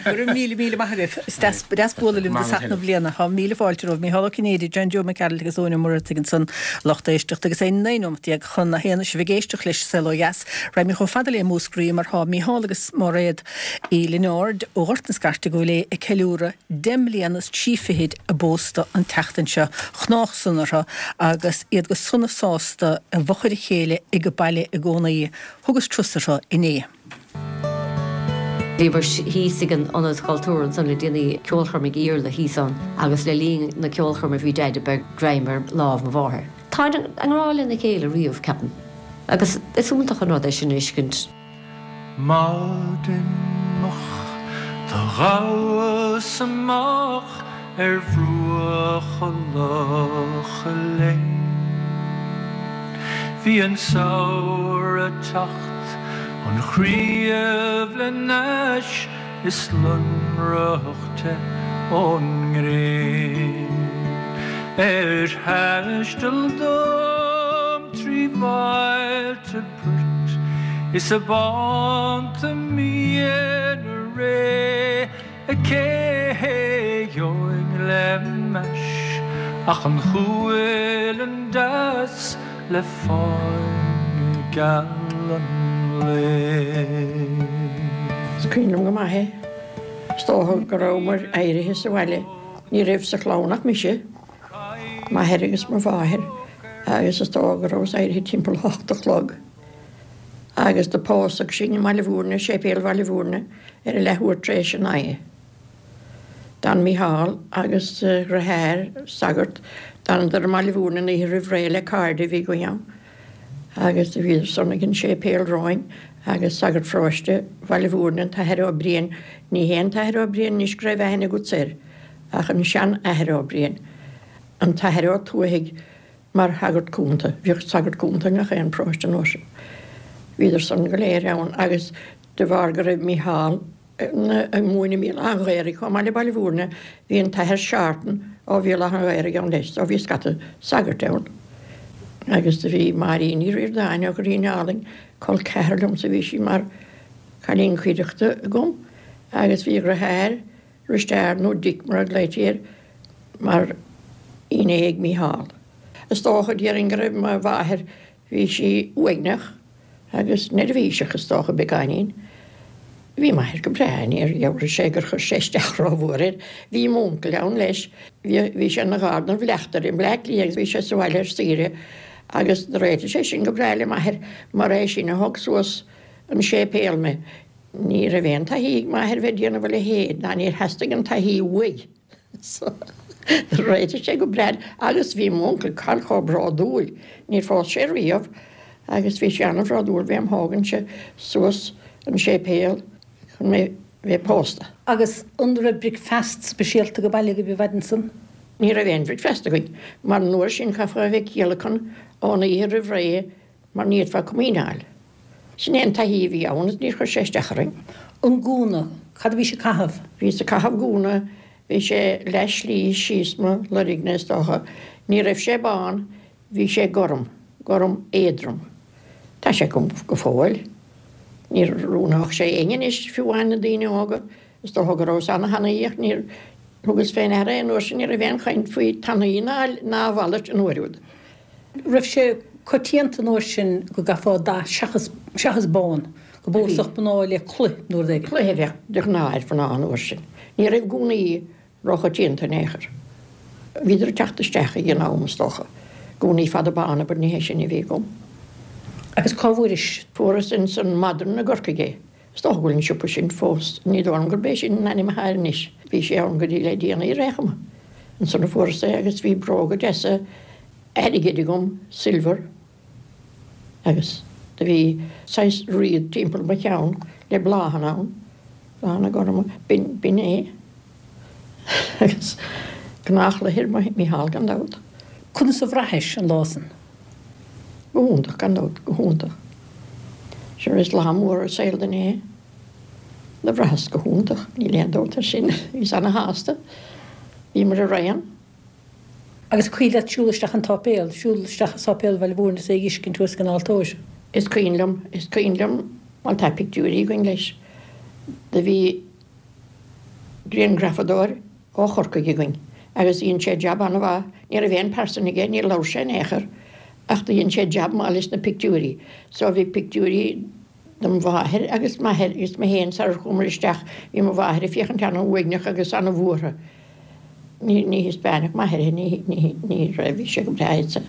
Go raibh míle míle maith agaibh. Is deas deas bualadh libh i dtosach na bliana. Tá míle fáilte romhaibh. Mícheál Ó Cinnéide, John Joe Mac Gearailt agus Eoin Ó Muircheartaigh ansan, lucht éisteachta agus é 19 nóimeat chun a haon is sibh ag éisteacht leis Saol Ó Dheas. Raghaimid chomh fada le Múscraí mar tá Mícheál agus Máiréad Uí Lionáird ó Ghort na Scairte i gCúil Aodha ag ceiliúradh deich mbliana is trí fichid a bpósta an tseachtain seo. Chnách san orthu agus iad go sona sásta i bhfochair a chéile ag baile i gcónaí. Thugas turas orthu inné. Bhíomar thíos ag an Ionad Cultúir ansan le déanaí, ceolchoirm ag Iarla thíos ann agus le linn na ceolchoirme bhí Deaide beag greim ar lámh mo mháthar. Táid i ngrá lena chéile riamh, ceapaim, agus is iontach an rud é sin a fheiscint. Maidin mhoch do ghabhas amach ar bhruacha Locha Léin. Bhí an samhradh ag teacht, an chraobh le n-ais is lonrach te ón ngréin. Ar thaisteal dom tri bhailte poirt is a bánta míne réidh cé gheobhainn le m'ais ach an cualann deas le fáinne geal an lae. Is cuimhin liom go maith é. Is dócha go rabhamar éirithe sa bhaile. Ní raibh sa chlann ach mise. M'athair agus mo mháthair agus is dócha go rabhas éirithe timpeall a hocht a chlog agus do pósadh sinn i mBaile Mhúirne, Séipéal Bhaile Mhúirne ar a leathuair tar éis a naoi. D'fhan Mícheál agus a dhriotháir, sagart, d'fhanadar i mBaile Mhúirne an oíche roimh ré le cairde a bhí againn ann agus do bhíodar san ag an séipéal romhainn agus sagart pharóiste Bhaile Mhúirne, an tAthair Ó Briain, ní hé an tAthair Ó Briain anois go raibh aithne agatsa air, Ach an sean-Athair Ó Briain, an tAthair Ó Tuathaigh mar shagart cúnta, bhíodh sagart cúnta i ngach aon paróiste an uair sin. Bhíodar san go léir ann agus de bharr go raibh Mícheál ag múineadh i mBéal Átha an Ghaorthaidh chomh maith le Baile Mhúirne, bhí an tAthair Seártan ó Bhéal Átha an Ghaorthaidh ann leis, so bhí scata sagairt ann. Agus do bhí Máirín Ní Ríordáin ó Dhoirín Álainn, col ceathar liomsa, bhí sí mar chailín cuideachta agam agus bhí a dhriotháir, Risteard nó Dick mar a ghlaoití air mar fhinné ag Mícheál. Is dócha, déarfainn, go raibh mo mháthair, bhí sí uaigneach agus neirbhíseach is dócha, beagáinín. Bhí m'athair go breá, níor dhealraigh sé gur chuir sé isteach rómhór air. Bhí m'uncail ann leis, bhí sé ina gharda ina bhleachtaire i mBleá Cliath agus bhí sé sa bhaile ar saoire agus do réitigh sé sin go breá le m'athair mar é sin a thug suas an séipéal mé. Ní raibh aon taithí ag m'athair bheith ag déanamh a leithéid ná níor theastaigh an taithí uaidh. So do réitigh sé go breá agus bhí m'uncail Karl chomh bródúil, níor phós sé riamh agus bhí sé an-bhródúil bheith im thógaint suas an séipéal chun mé bheith pósta. Agus an raibh bricfeast speisialta ag baile agaibh an mhaidin san? Ní raibh aon bhricfeast againn mar an uair sin chaithfeá a bheith ag ciallacan ón oíche roimh ré mar ní fhéadfá comaoin a fháil. Sin é an taithí a bhí ann agus níor chuir sé isteach orainn. An gúna, cad a bhís ag caitheamh? Bhíos ag caitheamh gúna, bhí sé leath slí síos mo loirgne is dócha. Ní raibh sé bán, bhí sé gorm, gorm éadrom. Tá sé agam go fóill. Ní oiriúnódh sé éinne anois, fiú amháin na daoine óga. Is dócha go rabhas ana-thanaí ach níor thugas fé ndeara é an uair sin, ní raibh aon chaint faoi tanaí ná a mhalairt an uair úd. Raibh sé coitianta an uair sin go gcaithfeá dath seachas, seachas bán, go bpósfadh mná le cloich nó rud éigin? Cloich a bheadh de ghnáth ar mhná an uair sin. Ní raibh gúnaí róchoitianta in aon chor. Bhíodar ag teacht isteach ag an am, is dócha. Gúnaí fada bána, but ní hé sin a bhí agam. Agus cá bhfuairis? Fuaireas ins an Modern i gCorcaigh é. Is dócha go bhfuil an siopa sin fós, ní dóigh liom gurb é sin an ainm atá air anois. Bhí sé ann go dtí le déanaí ar aon chuma. Ansan a fuaireas é agus bhí bróga deasa airgid agam, silver, agus do bhí saghas réad timpeall mo cheann le bláthanna ann, bláthanna gorma, b'in, b'in é. Agus gnáthchloich ar Mhícheál gan dabht. Conas a bhraithis an lá san? Go hiontach, gan dabht, go hiontach. Sure is lá mór i saol duine é. Do bhraitheas go hiontach, níl aon dabht air sin. Bhíos ana-shásta. Bhíomar araon. Agus cuimhin leat siúl isteach an tsáipéal, siúl isteach i Sáipéal Bhaile Mhúirne is é a dh'fheiscint thuas ag an altóir? Is cuimhin liom, is cuimhin liom, bhuel tá pictiúirí againn leis. Do bhí grianghrafadóir ó Chorcaigh againn agus dhein sé jab an-mhaith. Ní raibh aon pearsan aige, níor labhair sé in aon chor ach do dhein sé jab maith leis na pictiúirí. So bhí pictiúirí dom mháthair agus m'athair agus mé féin sarar chuamar isteach. Bhí mo mháthair ag féachaint ana-uaigneach agus ana-bhuartha. Ní thaispeánfadh m'athair é, ní raibh, bhí sé go breá insa.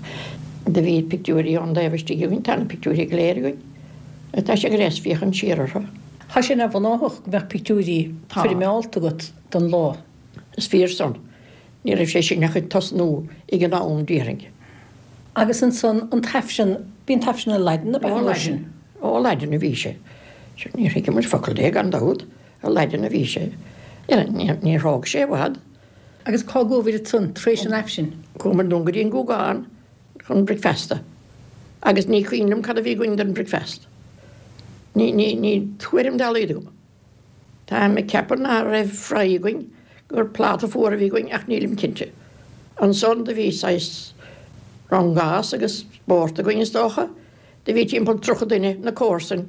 Do bhí pictiúirí ón dtaobh istigh againn, tá na pictiúirí go léir againn. Tá sé go deas féachaint siar orthu. Tá sé neamhghnáthach go mbeadh pictiúirí foirmeálta agat don lá. Is fíor san. Ní raibh sé sin ach ag tosnú ag an am, déarfainn. Agus ansan an tAifreann, bhí an tAifreann i Laidin ab ea an uair sin? Ó, Laidin a bhí sé. Sure, níor thuigeamar focal de, gan dabht. I Laidin a bhí sé. Níor thóg sé i bhfad. Agus cá gcuabhair ansan tar éis an Aifrinn? Chuamar anonn go dtí an Gúgán chun bricfeasta. Agus ní cuimhin liom cad a bhí againn don bricfeast. Ní, ní, ní tuairim dá laghad agam. Táim ag ceapadh ná raibh fry againn, gur pláta fuar a bhí againn ach nílim cinnte. Ansan do bhí saghas rangás agus spórt againn is dócha. Do bhí timpeall 30 duine, na comharsain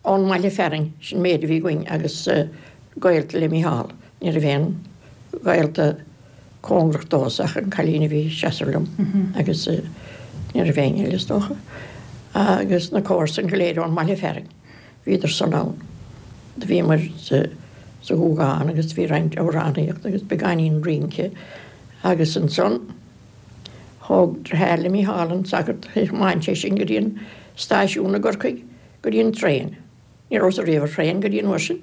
ón mbaile fearainn, sin méid a bhí againn agus gaolta le Mícheál. Ní raibh aon ghaolta cóngarach domhsa ach an cailín a bhí ag seasamh liom agus ní raibh éinne eile is dócha. Agus na comharsain go léir ón mbaile fearainn. Bhíodar san ann. Do bhíomar sa Ghúgán agus bhí roinnt amhránaíocht agus beagáinín rince agus ansan thóg deartháir le Mícheál an sagart, thiomáin sé sinn go dtí an stáisiún i gCorcaigh go dtí an traein. Ní rabhas ariamh ar thraein go dtí an uair sin.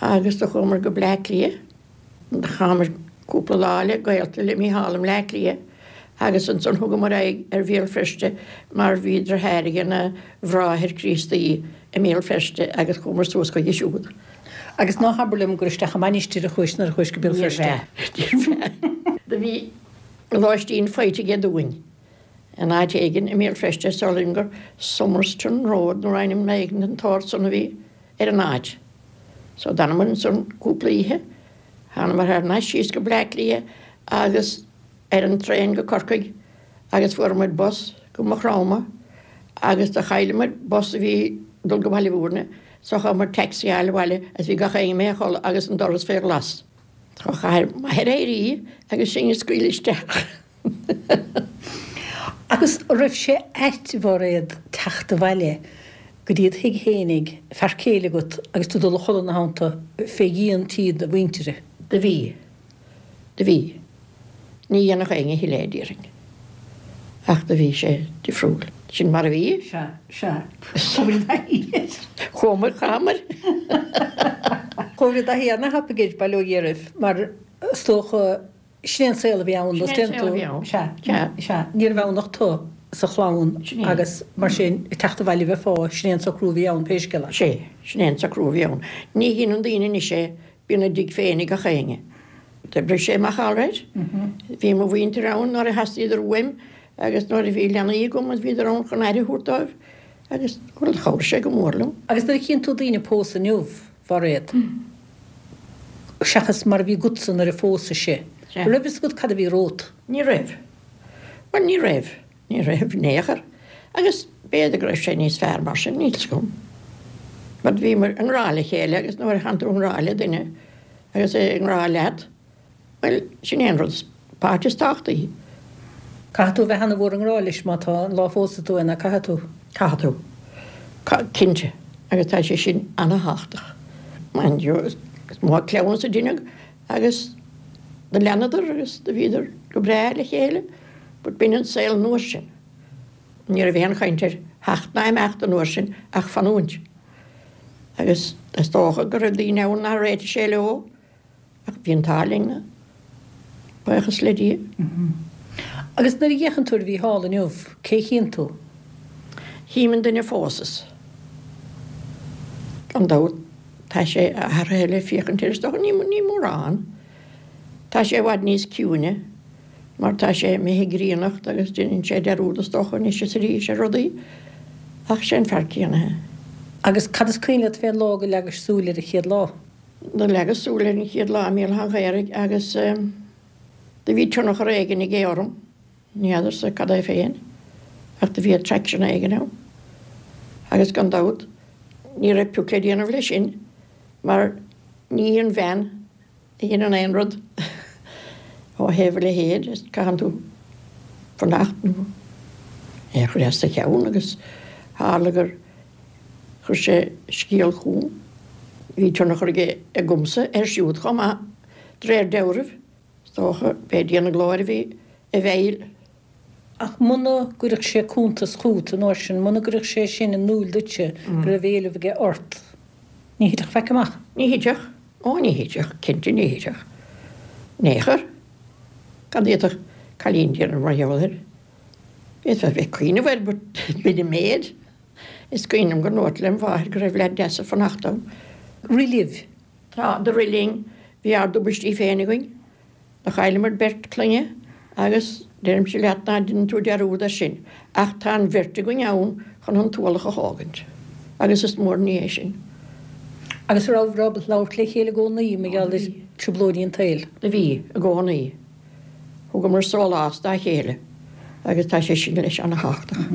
Agus do chuamar go Bleá Cliath. Chaitheamar cúpla lá le gaolta le Mícheál i mBleá Cliath agus ansan thugamar aghaidh ar Bhéal Feirste mar bhí deartháir aige ina bhráthair Críostaí i mBéal Feirste agus chuamar suas chuige siúd. Agus ná habair liom gur isteach i mainistir a chuais nuair a chuais go Béal Feirste? Níorbh ea. Do bhí lóistín faighte aige dúinn in áit éigin i mBéal Feirste, is dóigh liom gur Summerston Road nó ainm éigin den tsórt san a bhí ar an áit. So d'fhanamar ansan cúpla oíche, thánamar thar n-ais síos go Bleá Cliath agus ar an traein go Corcaigh agus fuaireamar bus go Maigh Chromtha agus do chailleamar bus a bhí ag dul go Baile Mhúirne so chaitheamar taxi a fháil abhaile agus bhí gach éinne imithe a chodladh agus an doras fé ghlas. So chaith m'athair éirí agus sinn a scaoileadh isteach. Agus raibh sé ait Mhairéad teacht abhaile? Go dtí do thigh fhéinig, fear céile agat agus tú dul a chodladh ina theannta fé dhíon tí do mhuintire. Do bhí. Do bhí. Ní dhéanfadh éinne a thuilleadh é, déarfainn. Ach do bhí sé difriúil. Sin mar a bhí. Sea, sea. Chuamar i dtaithí air. Chuamar, chaitheamar. Chuamar i dtaithí ana-thapaidh air, bail ó Dhia oraibh, mar is dócha, sin é an saol a bhí ann, Sin é an saol a bhí ann. Sea, sea. Ní raibh ann ach tu sa chlann agus mar sin, ag teacht abhaile bheifeá, sin é an socrú a bhí ann pé scéal é. Sea, sin é an socrú a bhí ann. Ní dheineann daoine anois é, bíonn a dtigh féin ag gach éinne. D'oibrigh sé amach alright. Bhí mo mhuintir ann nuair a theastaíodar uaim agus nuair a bhí leanaí agam bhíodar ann chun aire a thabhairt dóibh agus, bhuel, chabhraigh sé go mór liom. Agus nuair a chíonn tú daoine ag pósadh inniu, Mhairéad, seachas mar a bhí agatsa nuair a phósais-se, an raibh fhios agat cad a bhí romhat? Ní raibh. Bhuel, ní raibh. Ní raibh in aon chor. Agus b'fhéidir go raibh sé níos fearr mar sin, níl 's agam. But bhíomar i ngrá le chéile agus nuair a thánn tú i ngrá le duine agus é i ngrá leat, bhuel, sin é an rud is, páirt is tábhachtaí. Caithfidh tú a bheith ana-mhór i ngrá leis má tá an lá a phósfaidh tú é, ná caithfidh tú? Caithfidh tú. Cinnte. Agus tá sé sin ana-thábhachtach. Mind you, is mó cleamhnas a deineadh agus do leanadar agus do bhíodar go breá le chéile but b'in an saol an uair sin. Ní raibh aon chaint ar theacht ná imeacht an uair sin ach fanúint. Agus is dócha go raibh daoine ann nár réitigh sé leo ach bhí an t-ádh linn, buíochas le Dia. Agus nuair a fhéachann tú ar Mhícheál inniu, cé a chíonn tú? Chím an duine a phósas. Gan dabht tá sé athraithe le féachaint air is dócha, ní mórán. Tá sé i bhfad níos ciúine mar tá sé imithe i gcríonnacht agus déanann sé dearúd is dócha anois is arís ar rudaí ach sé an fear céanna é. Agus cad is cuimhin leat fén lá go leagais súil air an chéad lá? Do leagas súil air an chéad lá i mBéal Átha an Ghaorthaidh agus do bhí tionchar éigin aige orm, ní fheadarsa cad é féin, ach do bhí attraction éigin ann. Agus gan dabht ní raibh pioc le déanamh leis sin mar ní í an bhean a dheineann aon rud ó thaobh a leithéid, is caitheann tú fanacht nó é a chur as do cheann agus tharla gur Chuir sé scéal chugam. Bhí tionchar aige agamsa air siúd chomh maith, de réir dealraimh. Is dócha, b'é Dia na glóire a bhí i bhfeighil. Ach muna gcuirfeadh sé cuntas chugat an uair sin, muna gcuirfeadh sé sin in iúl duitse go raibh éileamh aige ort, ní thitfeadh faic amach. Ní thitfeadh. Ó, ní thitfeadh. Cinnte ní thitfeadh. In aon chor, cad a d'fhéadfadh cailín déanamh mar gheall air? D'fhéadfá a bheith ag cuimhneamh air but b'in an méid. Is cuimhin liom go ndúrt lem mháthair go raibh leaid deas ag fanacht dom. Rith libh. Tá, do rith linn. Bhí ár dtubaistí féin againn. Do chailleamar beirt clainne agus deirimse leat ná deineann tú dearúd air sin. Ach tá an bheirt againn ann chun an t-ualach a thógaint. Agus is mór an ní é sin. Agus an rabhabhair ábalta labhairt le chéile i gcónaí mar gheall ar trioblóidí an tsaoil? Do bhí, i gcónaí. Thugamar sólás dá chéile agus tá sé sin leis ana-thábhachtach.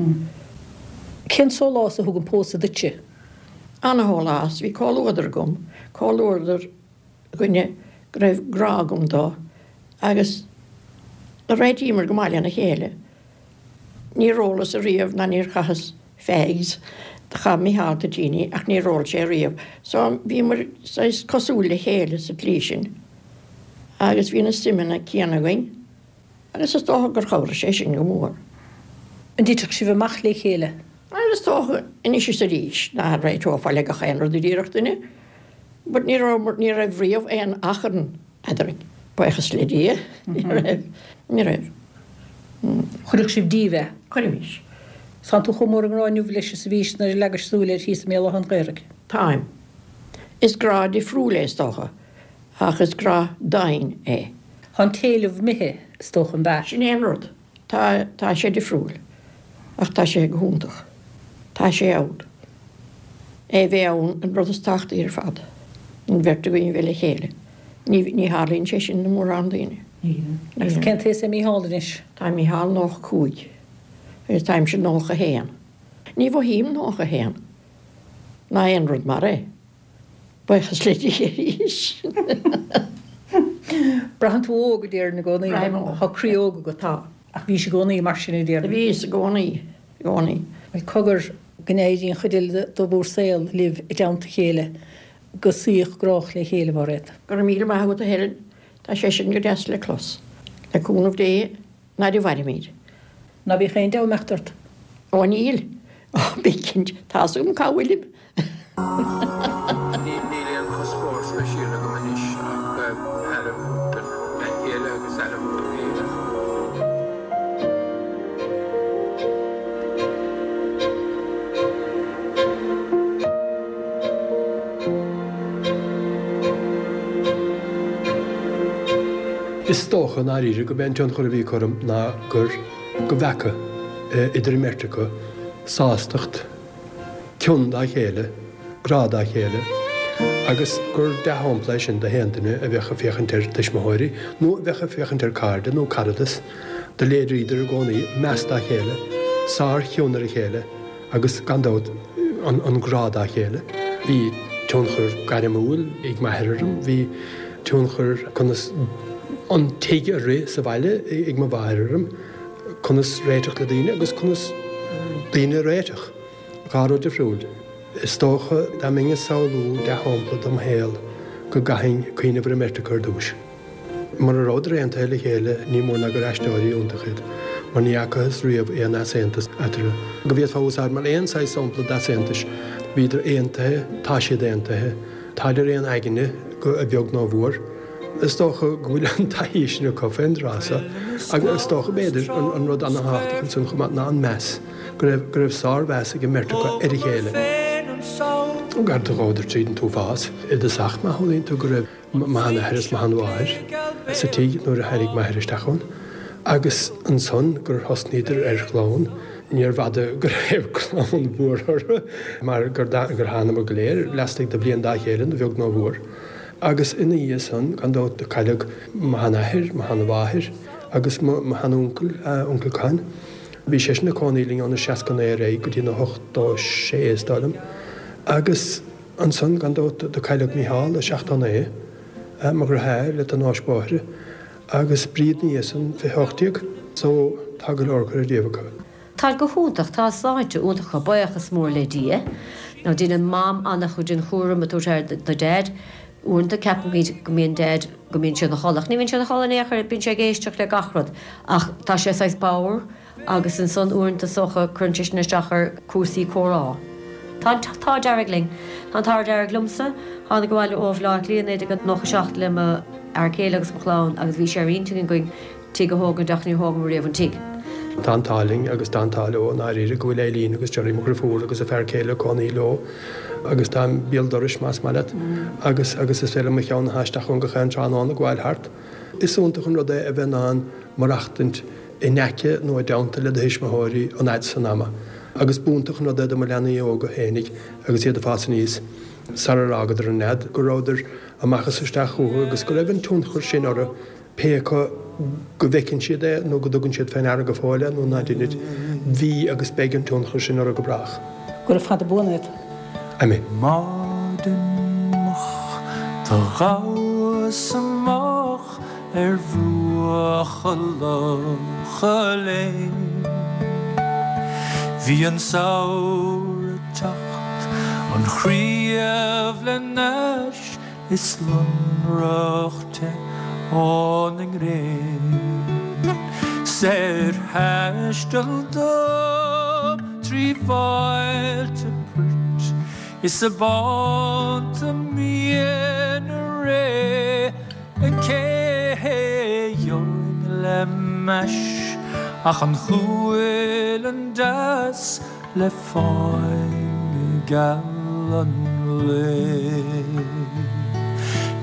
Cén sólás a thug an pósadh duitse? Ana-shólás. Bhí comhluadar agam, comhluadar dhuine go raibh grá agam dó agus do réitíomar go maith lena chéile. Níor ólas ariamh ná níor chaitheas fags. Do chaith Micheál toitíní ach níor ól sé ariamh. So bhíomar saghas cosúil le chéile sa tslí sin. Agus bhí na suimeanna céanna againn agus is dócha gur chabhraigh sé sin go mór. An dtiteadh sibh amach le chéile? Bhuel is dócha anois is arís nach réiteofá le gach aon rud a déarfadh duine but ní raibh, ní raibh riamh aon achrann eadrainn, buíochas le Dia, ní raibh, ní raibh. Chuirfeadh sibh díobh é? Chuirfimis. Tánn tú chomh mór i ngrá inniu leis is a bhís nuair a leagais súil air thíos i mBéal Átha an Ghaorthaidh? Táim. Is grá difriúil é is dócha, ach is grá domhain é. Tá an t-éileamh imithe, is dócha, an ea? Sin é an rud. Tá, tá sé difriúil. Ach tá sé go hiontach. Tá sé ann. É a bheith ann an rud is tábhachtaí ar fad. An bheirt againn a bheith le chéile. Ní, ní tharlaíonn sé sin do mhórán daoine. Agus cén t-aos é Mícheál anois? Tá Mícheál 95 agus táimse 91. Ní mhothaím 91. Ná aon rud mar é. Buíochas le Dia arís. Braitheann tú óg, a déarfainn, i gcónaí. Braithim óg. Tá croí óg agat. Tá. Ach bhís i gcónaí mar sin, a déarfainn. Bhíos i gcónaí, i gcónaí. Bhuel, cogar. go n-éirí an chuid eile de bhur saol libh i dteannta a chéile go saíoch grách le chéile, a Mhairéad. Go raibh míle maith agat a Helen, tá sé sin go deas le clos. Le cúnamh Dé, n'fheadair an mhairfimid. Ná bíodh aon dea-imeacht ort. Ó níl. Ó bí cinnte, tá's agam cá bhfuilim. Níl aon chuspóir speisialta agam anois ach aire a thabhairt don bhean chéile agus aire a thabhairt dom féin. Is dócha, i ndáiríre, gurb é an tionchar a bhí acu orm ná gur, go bhfeaca idir an mbeirt acu sástacht, cion dá chéile, grá dá chéile, agus gur dea-shampla é sin do haon duine a bheadh ag féachaint ar tuismitheoirí nó a bheadh ag féachaint ar cairde nó caradas, do léiríodar i gcónaí meas dá chéile, sár-chion ar a chéile agus, gan dabht, an grá dá chéile. Bhí tionchar gairmiúil ag m'athair orm, bhí tionchar conas an tigh a rith sa bhaile ag mo mháthair orm. conas réiteach le daoine agus conas daoine a réiteach. 2 rud difriúil. Is dócha dá mbeinn ag samhlú dea-shampla dom shaol go gcaithfinn cuimhneamh ar an mbeirt acu ar dtúis. Mura rabhadar aontaithe le chéile ní mór ná gur aisteoirí iontacha iad, mar ní fhacathas riamh aon easaontas eatarthu. Go bhféadfá a úsáid mar aon saghas sampla d'easaontais. Bhíodar aontaithe, tá siad aontaithe, táid ar aon aigne, a bheag nó a mhór. Is dócha go bhfuil an taithí sin acu fén dtráth so agus is dócha, b'fhéidir, an rud ana-thábhachtach ansan chomh maith ná an meas, go raibh, go raibh sár-mheas ag an mbeirt acu ar a chéile. Gar do ghabhadar tríd an t-uafás i dtosach, má shamhlaíonn tú go raibh mo sheanathair is mo sheanmháthair sa tigh nuair a tháinig m'athair isteach ann agus ansan gur thosnaíodar ar chlann, níorbh fhada go raibh clann mhór orthu mar gur thánamar go léir laistigh de bhliain dá chéile, a bheag nó a mhór. Agus ina dhiaidh san, gan dabht, do cailleadh mo sheanathair, mo sheanmháthair agus mo sheanuncail, Uncail Con. Bhí seisean ag cónaí linn óna 69 ar aghaidh go dtí na 86, is dóigh liom. Agus ansan, gan dabht, do cailleadh Mícheál i 79, mo dheartháir le tonnáis bóithre, agus Bríd ina dhiaidh san, 2018. So, tá go leor curtha díobh acu. Táid go hiontach, tá sláinte iontach acu, buíochas mór le Dia. Now déanann Mam an-chuid den chúram ag tabhairt aire do Dhaid. Uaireanta ceapaimid go mbíonn Daid, go mbíonn sé ina chodladh, ach ní bhíonn sé ina chodladh in aon chor, bíonn sé ag éisteacht le gach rud. Ach tá sé saghas bodhar agus ansan uaireanta is dócha cuireann sé sin isteach ar cúrsaí comhrá. Tá an t-ádh dearg linn. Tá an t-ádh dearg liomsa. Tháinig abhaile ó Bhaile Átha Cliath 1997 le mo fhear céile agus mo chlann agus bhí sé ar intinn againn tigh a thógaint ach níor thógamar riamh an tigh. Tá an t-ádh linn agus tá an t-ádh leo i ndáiríre go bhfuil Eileen agus Gerry mo dhriofúr agus a fear céile ag cónaí leo agus táim béal dorais más maith leat agus agus is féidir liom mo cheann a shá isteach ann gach aon tráthnóna ag gabháil thart. Is iontach an rud é a bheith in ann maireachtaint in aice nó i dteannta le do thuismitheoirí an fhad san ama agus b'iontach an rud é do mo leanaí óga fhéinig agus iad ag fás aníos sarar fhágadar an nead go rabhadar amach is isteach chucu agus go raibh an tionchar sin orthu Pé acu go bhfeiceann siad é nó go dtugann siad fé ndeara go fóill é nó ná deinid, bhí agus beidh an tionchar sin orthu go brách. Gura fada buan iad. Amen. Maidin mhoch do ghabhas amach ar bhruacha Locha Léin. Bhí an samhradh teacht, an chraobh le n-ais Is lonrach te óna ngréin 's ar thaisteal dom trí bhailte poirt is i bánta mín na ré cé gheobhainn le m'ais ach an cualann deas Le fáinne geal an lae,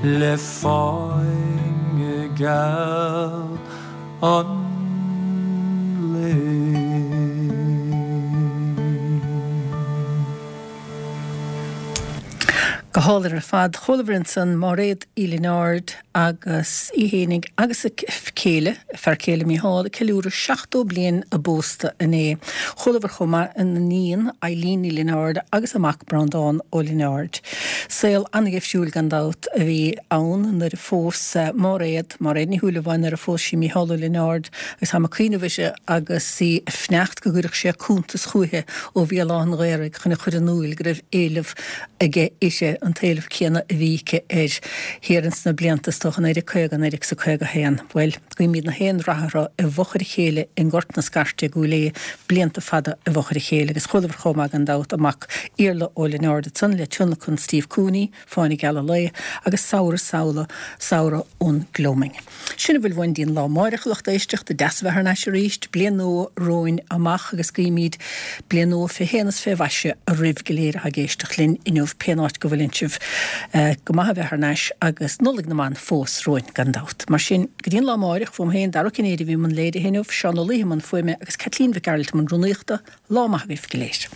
le fáinne geal an lae. Go hálainn ar fad. Chualamar ansan Máiréad Uí Lionáird agus í fhéinig agus a céile, a fear céile Mícheál, ag ceiliúradh 70 bliain a bpósta inné. Chualamar chomh maith a n-iníon Eileen Ní Lionáird agus a mac Breandán Ó Lionáird. Saol an-gheimhsiúil gan dabht a bhí ann nuair a phós Máiréad, Máiréad Ní Shúilleabháin, nuair a phós sí Mícheál Ó Lionáird agus táim ag cuimhneamh uirthi agus í ag fanacht go gcuirfeadh sé cuntas chúichi ó Bhéal Átha an Ghaorthaidh chun a chur in iúil go raibh éileamh aige uirthi, an t-éileamh céanna a bhí aici air thiar ins na blianta, is dócha, 1950, 1951. Bhuel, guímid na haon rath orthu i bhfochair a chéile i nGort na Scairte i gCúil Aodha, blianta fada i bhfochair a chéile. Agus chualamar chomh maith gan dabht a mac Iarla Ó Lionáird ansan le tionlacan Steve Cooney, Fáinne Geal an Lae, agus Samhradh Samhla, Samhradh ón Gloaming. Sin a bhfuil uainn dtí'n lá amáireach, a lucht éisteachta. Deas a bheith thar n-ais arís. Bliain nua romhainn amach agus guímid bliain nua fé shéan is fé mhaise oraibh go léir atá ag éisteacht linn inniu, pén áit go bhfuileann sibh. Go maith a bheith thar n-ais agus Nollaig na mBan fós romhainn gan dabht. Mar sin, go dtí an lá amáireach, uaim féin, Dara Ó Cinnéide a bhí i mbun léirithe inniu, Seán Ó Laoithe i mbun fuaime agus Caitlín Mhic Gearailt i mbun rúnaíochta, lá maith agaibh go léir.